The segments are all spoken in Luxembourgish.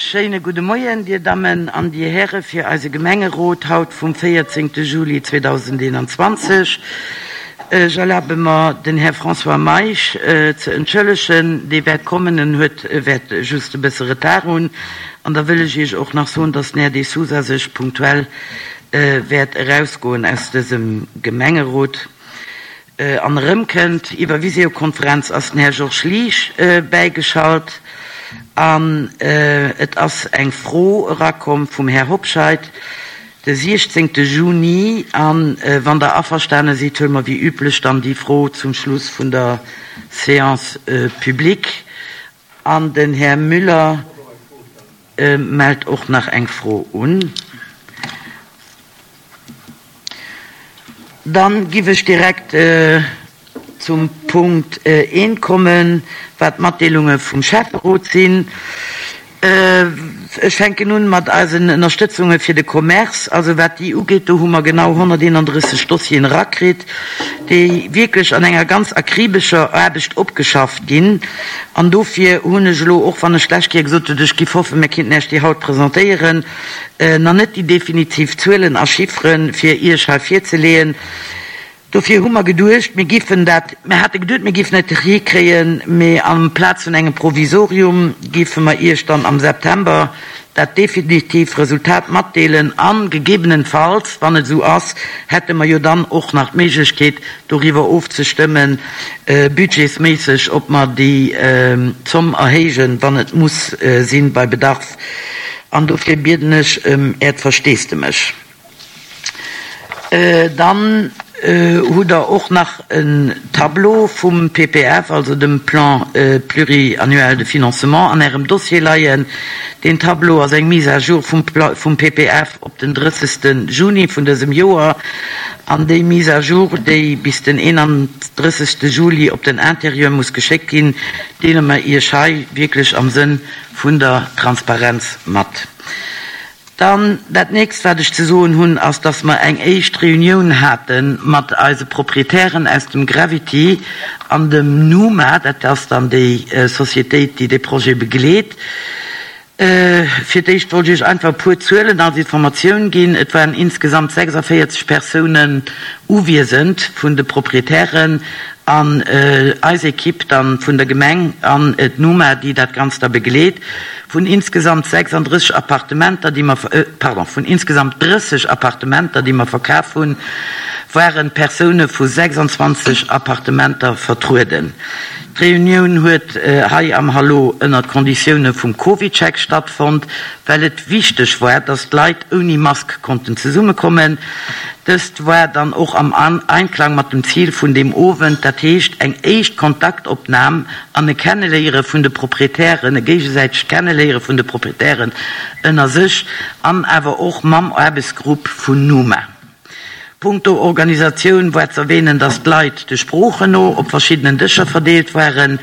Schéine gudde Moien, Dir Dammen an Dir Häre fir eise Gemengerot haut vum 14 Juli 2021. Ech erlabe mer, den Här François Meisch ze entschëllegen. Dee wäert kommen, en huet, wäert just e bësse Retard hunn. An da wëll ech Iech och nach soen, dass den Här De Sousa sech punktuell wäert erausgoen aus dësem Gemengerot. An erëmkënnt. Iwwer Visiokonferenz ass den Här Georges Liesch bäigeschalt an et ass eng Fro erakomm vum Här Hobscheit de 16 Juni. A wann Der averstane sidd, huele mer wéi üblech dann déi Fro zum Schluss vun der Séance publique. An den Här Müller mellt och nach eng Fro un. Dann giff ech direkt zum Punkt eent kommen, wat d'Matdeelunge vum Schäfferot sinn. Ech fänken un mat eisen Ënnerstëtzunge fir de Commerce. Also wat déi ugeet, do hu mer genau 131 Dossieren erakritt, déi wierklech an enger ganz akribescher Aarbecht opgeschafft ginn. An dofir hunn ech elo, och wann ech d'lescht Kéier gesot hunn, ech giff hoffen, mir kéinten Iech déi haut presentéieren, nach net déi definitiv Zuelen a Chiffere fir Iech hei virzeleeën. Dofir hu mer geduecht, mir giffen dat, mir hate geduet, mir giffen et hikréien, mee amplaz vun engem Provisorium giffe mer Iech dann am September dat definitiv Resultat matdeelen a gegebenenfalls, wann et esou ass, hätte mer jo dann och nach d'Méiglechkeet, doriwwer ofzestëmmen, budgetsméisseg, ob mer déi Zomm erhéijen, wann et muss sinn, bei Bedarf. An dofir bieden ech ëm Äert Versteesdemech. Dann hutt Der och nach en Tableau vum PPF, also dem Plan pluriannuel de financement, an Ärem Dossier leien. Deen Tableau ass eng Mise à jour vum PPF op den 30. Juni vun dësem Joer. An déi Mise à jour, déi bis den 31. Juli op den Intérieur muss geschéckt ginn, deele mer Iech hei wierklech am Sënn vun der Transparenz mat. Dann dat nächst, wat ech ze soen hunn, ass, dass mer eng éischt Reunioun hate mat eise Proprietären aus dem Gravity an dem Numa, dat ass dann déi Societéit, déi dee Projet begleet. Fir d'éischt wollt ech Iech einfach e puer Zuelen als Informatioun ginn. Et waren insgesamt 46 Persounen uwiesend vun de Proprietären an eis Equipe dann vun der Gemeng an d'Numa, déi dat Ganzt da begleet. Vun insgesamt 36 Appartementer, déi mer, pardon, vun insgesamt 30 Appartementer, déi mer verkaf hunn, waren Persoune vu 26 Appartementer vertrueden. D'Reunioun huet hei am Hallo ënnert Konditioune vum CovidCheck stattfonnt, well et wichteg war, dass d'Leit ouni Mask konnten zesummekommen. Dëst war dann och am Einklang mat dem Zil vun deem Owend, dat heescht eng éischt Kontaktopnam an e Kenneléiere vun de Proprietären, e géigesäitegt Kenneléiere vun de Proprietären ënner sech an awer och mam Aarbechtsgrupp vun Numa. Punkto Organisatioun war z'erwähnen, dass d'Leit de Sproochen no op verschiddenen Dëscher verdeelt waren.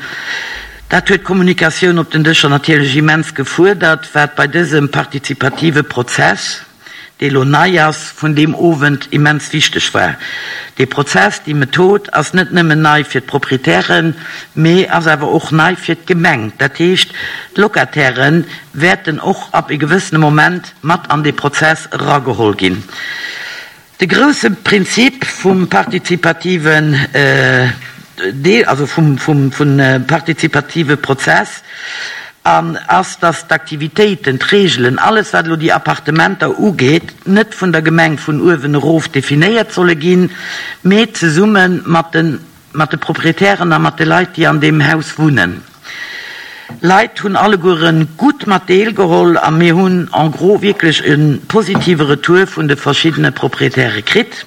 Dat huet d'Kommunikatioun op den Dëscher natierlech immens gefuerdert, wat bei dësem partizipative Prozess, dee lo nei ass, vun deem Owend immens wichteg war. Dee Prozess, déi Method ass net nëmmen nei fir d'Proprietären, mee ass awer och nei fir d'Gemeng. Dat heescht, d'Locataire wäerten och ab e gewëssene Moment mat an dee Prozess erageholl ginn. De grousse Prinzip vum partizipativen Deel, also vum partizipative Prozess an ass, dass d'Aktivitéiten, d'Regelen, alles wat elo déi Appartementer ugeet, net vun der Gemeng vun uewen erof definéiert solle ginn, mee zesumme mat de mat de Proprietären a mat de Leit, déi an deem Haus wunnen. Leit hunn allegueren gutt mat deelgeholl a mir hunn en gros wierklech e positive Retour vun de verschiddene Proprietäre kritt.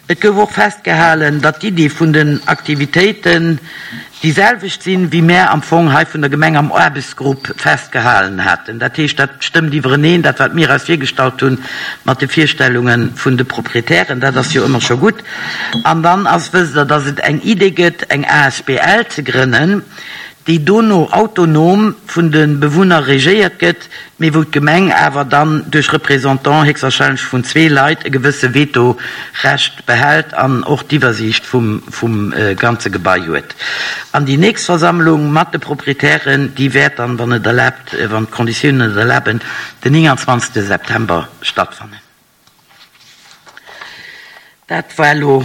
Et gouf och festgehalen, datt d'Iddi vun den Aktivitéiten déi selwecht sinn, wéi mär am Fong hei vun der Gemeng am Aarbechtsgrupp festgehalen haten. Dat heescht, dat stëmmt iwwereneen, dat wat mir eis virgestallt hunn, mat de Virstellunge vun de Proprietären. Dat ass jo ëmmer scho gutt. An dann ass, wësst Der, datt et eng Idee gëtt, eng asbl ze grënnen, déi dono autonom vun de Bewunner regéiert gëtt, mee wou d'Gemeng awer dann duerch Représentant, héchstwahrscheinlech vun zwee Leit, e gewësse Veto-Recht behält an och d'Iwwersiicht vum vum ganze Gebai huet. An déi nächst Versammlung mat de Proprietären, déi wäert dann, wann et erlaabt, wann d'Konditiounen et erlaben, den 29 September stattfannen. Dat war elo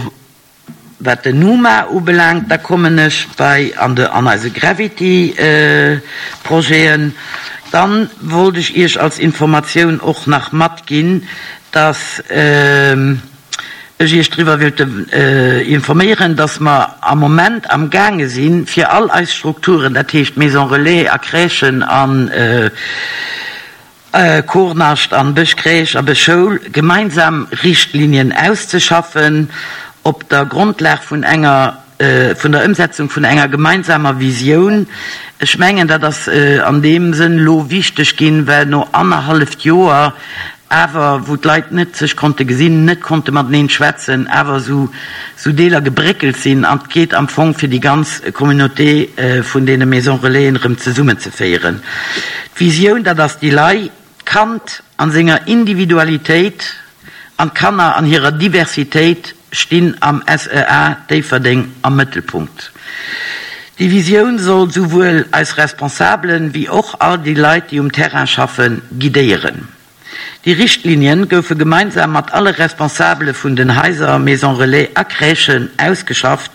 wat den Numa ubelaangt. Da kommen ech bei an de an eise Gravity Projeten. Dann wollt ech Iech als Informatioun och nach matginn, dass ech Iech driwwer wéilt informéieren, dass mer am Moment am gaange sinn, fir all eis Strukturen, dat heescht Maison Relais a Crèchen an Kornascht an Bëschcrèche a Bëschschoul, gemeinsam Richtlinien auszeschaffen op der Grondlag vun enger vun der Ëmsetzung vun enger gemeinsamer Visioun. Ech mengen, dat ass an deem Sënn elo wichteg ginn, well no annerhalleft Joer awer, wou d'Leit net sech konnte gesinn, net konnte mateneen schwätzen, awer esou esou Deeler gebréckelt sinn an et geet am Fong fir déi ganz Communauté vun deene Maisons Relaisen erëm zesummenzeféieren. D'Visioun, dat ass déi lei, d'Kand an senger Individualitéit an d'Kanner an hirer Diversitéit stinn am SEA Déifferdeng am Mëttelpunkt. Déi Visioun soll souwuel eis Responsabelen, wéi och all déi Leit, déi um Terrain schaffen, guidéieren. Déi Richtlinien goufe gemeinsam mat alle Responsabele vun den Haiser, Maisons Relais a Crèchen ausgeschafft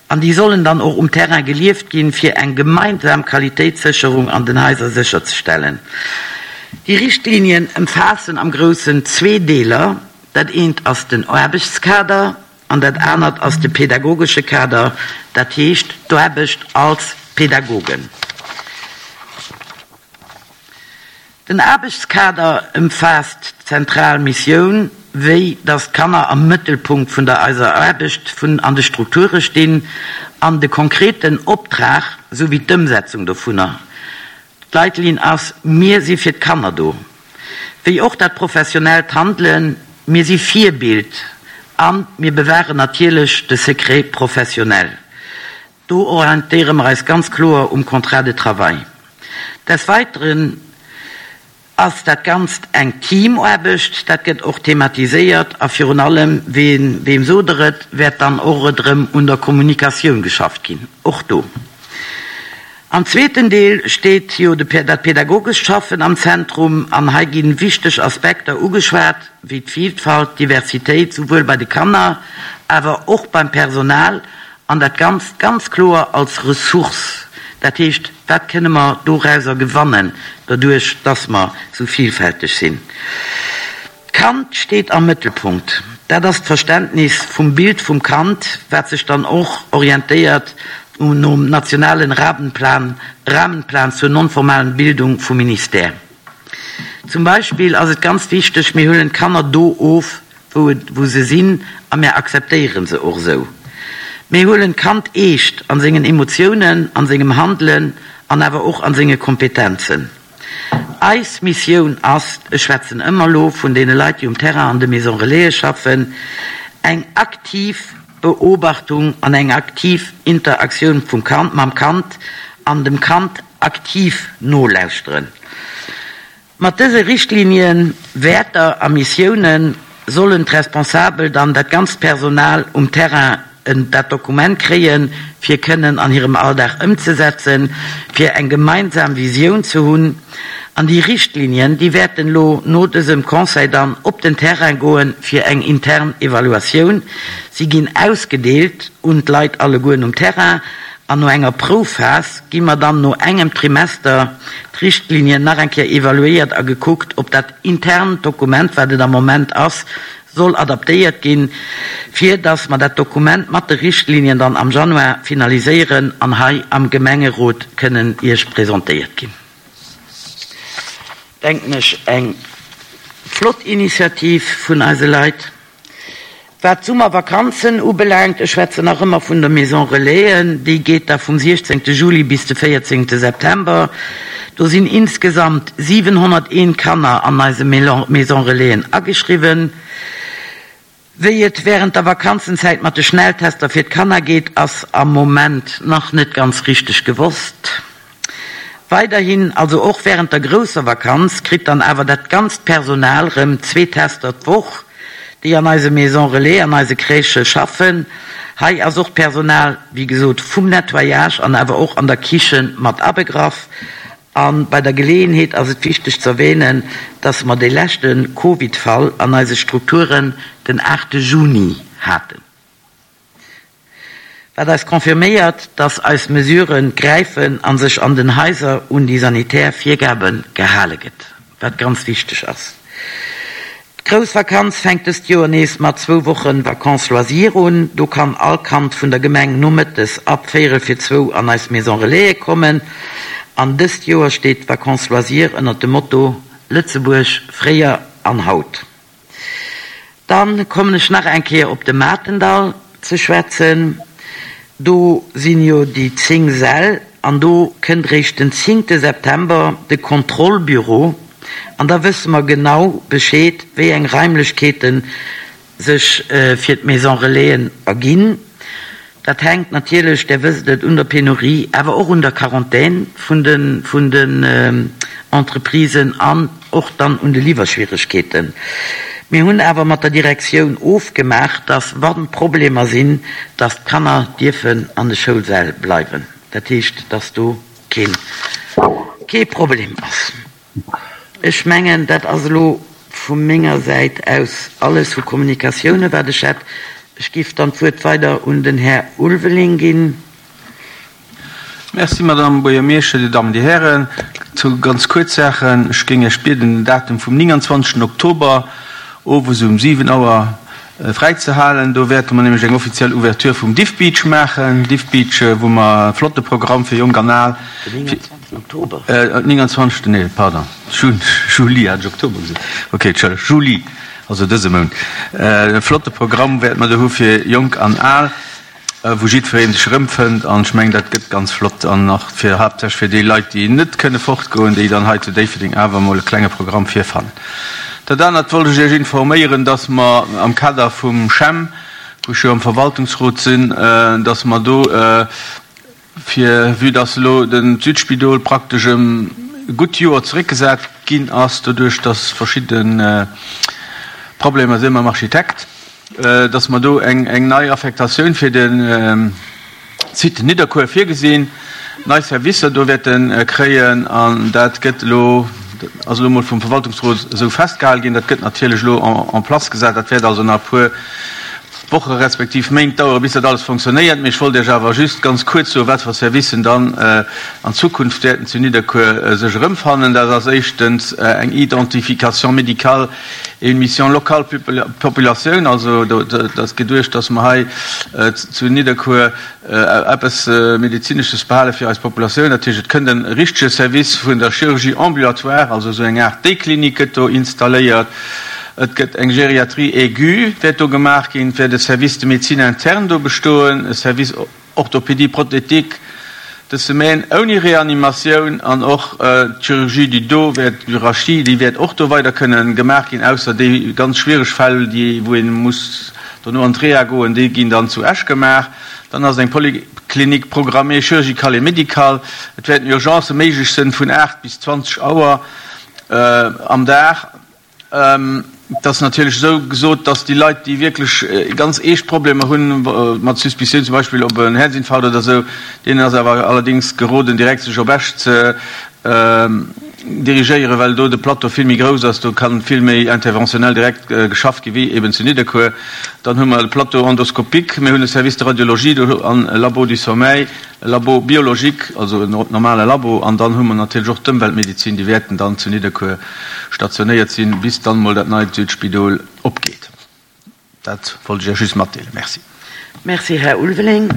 an déi sollen dann och um Terrain gelieft ginn, fir eng gemeinsam Qualitéitssécherung an den Haiser sécherzestellen. Déi Richtlinien ëmfaassen am Groussen zwee Deeler, Dat eent ass den Aarbechtskader an dat anert ass de pedagogesche Kader, dat heescht d'Aarbecht als Pedagogen. Den Aarbechtskader ëmfaasst d'zentral Missioun, wéi datt d'Kanner am Mëttelpunkt vun der eiser Aarbecht vun an de Strukture stinn, an de konkreten Optrag souwéi d'Ëmsetzung dovunner. D'Leitlinn ass, Mir si fir d'Kanner do. Wéi och dat professionellt Handelen, Mir si Virbild a mir bewahren natierlech de Secret professionnel. Do orientéiere mer eis ganz kloer um Contrat de travail. Des Weiteren ass dat Ganzt eng Teamaarbecht, dat gëtt och thematiséiert a virun allem, ween, weem sot Der et, wäert dann och et erëm un der Kommunikatioun geschafft ginn, och do. Am zweeten Deel steet jo de, dat pedagogescht Schaffen am Zentrum an hei gi wichteg Aspekter ugeschwat, wéi d'Vielfalt, d'Diversitéit, souwuel bei de Kanner, awer och beim Personal An dat Ganzt ganz kloer als Ressource. Dat heescht, wat kënne mer dorauser gewannen, doduerch dass mer esou vielfälteg sinn? D'Kand steet am Mëttelpunkt. Dat ass d'Verständnis vum Bild vum Kand, wat sech dann och orientéiert nom nationalen Rahmenplan, Rahmenplan zur non-formalen Bildung vum Ministère. Zum Beispill ass et ganz wichteg, mir huelen d'Kanner do of, wou et, wou se sinn, a mär akzeptéiere se och esou. Mir huelen d'Kand eescht an sengen Emotiounen, an sengem Handelen an awer och an senge Kompetenzen. Eis Missioun ass, ech schwätzen ëmmer elo vun deene Leit, déi um Terrain an de Maisons Relaisen schaffen, eng aktiv Beobachtung an eng aktiv Interaktioun vum Kand, mam Kand an dem Kand aktiv nolauschteren. Mat dëse Richtlinien, Wäerter a Missiounen sollen d'Responsabel dann dat ganzt Personal um Terrain en dat Dokument kréien, fir kënnen an hirem Alldag ëmzesetzen, fir eng gemeinsam Visioun ze hunn. An déi Richtlinien, déi wäerten elo no dësem Conseil dann op den Terrain goen, fir eng intern Evaluatioun. Si ginn ausgedeelt un d'Leit allegueren um Terrain an no enger Proufphas gi mer dann no engem Trimester d'Richtlinien nach eng Kéier evaluéiert a gekuckt, ob dat internt Dokument, wat et am Moment ass, soll adaptéiert ginn, fir dass mer dat Dokument mat de Richtlinien dann am Januar finaliséieren an hei am Gemengerot kënnen Iech presentéiert ginn. Denken ech, eng flott Initiativ vun eise Leit. Wat d'Summervakanzen ubelaangt, ech schwätzen nach ëmmer vun der Maison Relaisen, déi geet da vum 16 Juli bis de 14 September. Do sinn insgesamt 701 Kanner an eise Maison Relaisen ageschriwwen. Wéi et wärend der Vakanzenzäit mat de Schnelltester fir d'Kanner geet, ass am Moment nach net ganz richteg gewosst. Weiderhin, also och wärend der grousser Vakanz, kritt dann awer dat ganzt Personal rëm zwee Tester d'Woch, déi an eise Maison Relais, an eise Crèchë schaffen. Hei ass och d'Personal, wéi gesot, vum Nettoyage an awer och an der Kiche mat abegraff. A bei der Geleeënheet ass et wichteg z'erwähnen, dass mer dee leschte Covid-Fall an eise Strukturen den 8 Juni haten, wat eis confirméiert, dass eis Mesurë gräifen a sech an den Haiser un déi sanitär Virgabe gehale gëtt, wat ganz wichteg ass. D'grouss Vakanz fänkt dëst Joer nees mat zwou Woche Vacances loisirs un. Do kann all Kand vun der Gemeng nomëttes ab véierel fir zwou an eis Maison Relaisen kommen. An dëst Joer steet d'Vacances loisirs ënnert dem Motto Lëtzebuerg, fréier an haut. Dann kommen ech nach eng Kéier op de Matendall ze schwätzen. Do sinn jo déi 10 Säll an do kënnt réischt den zéngte September de Kontrollbüro an da wësse mer genau Bescheed, wéi eng Raimlechkeete sech fir d'Maison Relaisen erginn. Dat hänkt natierlech, Där wësst et, un der Penurie, awer och un der Quarantän vun de vun den Entreprisen an och dann un de Liwwerschwieregkeeten. Mir hunn awer mat der Direktioun ofgemaach, dass, wa Problemer sinn, dass d'Kanner dierfen an de Schoulsäll bleiwen. Dat heescht, dass do keen kee Problem ass. Ech mengen, dat ass elo vu menger Säit aus alles vu Kommunikatiounen, wat ech hätt. Ech géif dann d'Wuert weider un den Här Ulveling ginn. Merci, Madame Buergermeeschter, Dir Dammen, Dir Hären. Zwou ganz kuerz Saachen. Ech géing Iech bieden, den Datum vum 29. Oktober owes um 7 Auer fräizehalen. Do wäerte mer nämlech eng offiziell Ouverture vum Diffbeach maachen. Diffbeach, wou mer e flotte Programm fir Jonk an Al. Den 29. Oktober? 29. Nee, pardon, Juli, hat ech Oktober gesot? Okay, Entschëllegt, Juli, also dëse Mount. E flotte Programm wäerte mer do hu fir Jonk an Al. wou jiddweree sech erëmfënnt an ech mengen, dat gëtt ganz flott an och fir haaptsächlech fir déi Leit, déi net kënne fortgoen, déi dann hei zu Déifferdeng awer emol e klenge Programm virfannen. Dat anert wollt ech Iech informéieren, dass mer am Kader vum CHEM, wou ech jo am Verwaltungsrot sinn, dass mer do fir, vue dass elo den d'Südspidol praktesch ëm e gutt Joer zeréckgesat ginn ass, doduerch dass verschidde Problemer si mam Architekt, dass mer do eng nei Affektatioun fir de Site Nidderkuer virgesinn, nei Servicer do wäerte kréien. An dat gëtt elo, ass elo emol vum Verwaltungsrot esou festgehale ginn. Dat gëtt natierlech elo en place gesat. Dat wäert also nach e puer Woche respektiv Méint dauere bis dat alles fonctionnéiert. Mee ech wollt Iech awer just ganz kuerz soen, wat fir Servicen dann an Zukunft wäerten zu Nidderkuer sech erëmfannen. Dat ass éischtens eng Identification médicale et une mission locale population, also et ass geduecht, dass mer hei zu Nidderkuer eppes Medezinesches behale fir eis Populatioun. Dat heescht, et kënnt e richtege Service vun der Chirurgie ambulatoire, also esou eng Aart Day-Klinik gëtt do installéiert. Et gëtt eng Gériatrie aiguë wäert do gemaach ginn. Et wäert e Service de médecine interne do bestoen, e Service Orthopédie prothétique de semaine ouni Reanimatioun an och d'Chirurgie du dos wäert, du rachis, déi wäert och do weider kënnen gemaach ginn, ausser déi ganz schwiereg Fäll, déi wou ee muss dono an d'Reha goen, déi ginn dann zu Esch gemaach. Dann ass eng Polyclinique programmée chirurgicale et médicale. Et wäerten Urgencë méiglech sënn vun 8 bis 20 Auer am Dag. Et ass natierlech esou gesot, datt déi Leit, déi wierklech ganz eescht Problemer hunn, mat Suspicioun zum Beispill op en Häerzinfarkt oder esou, deenen ass awer allerdéngs geroden, direkt sech op Esch ze dirigéieren, well do de Plateau vill méi grouss ass, do kann vill méi interventionnel direkt geschafft gi wéi eben zu Nidderkuer. Dann hu mer de Plateau endoscopique, mir hunn e Service de radiologie do an e Labo du sommeil. E Labo biologique, also en normale Labo, an dann hu mer natierlech och d'Ëmweltmedizin, déi wäerten dann zu Nidderkuer stationéiert sinn, bis dann emol dat neit Südspidol opgeet. Dat wollt ech Iech just matdeelen. Merci. Merci, Här Ulveling.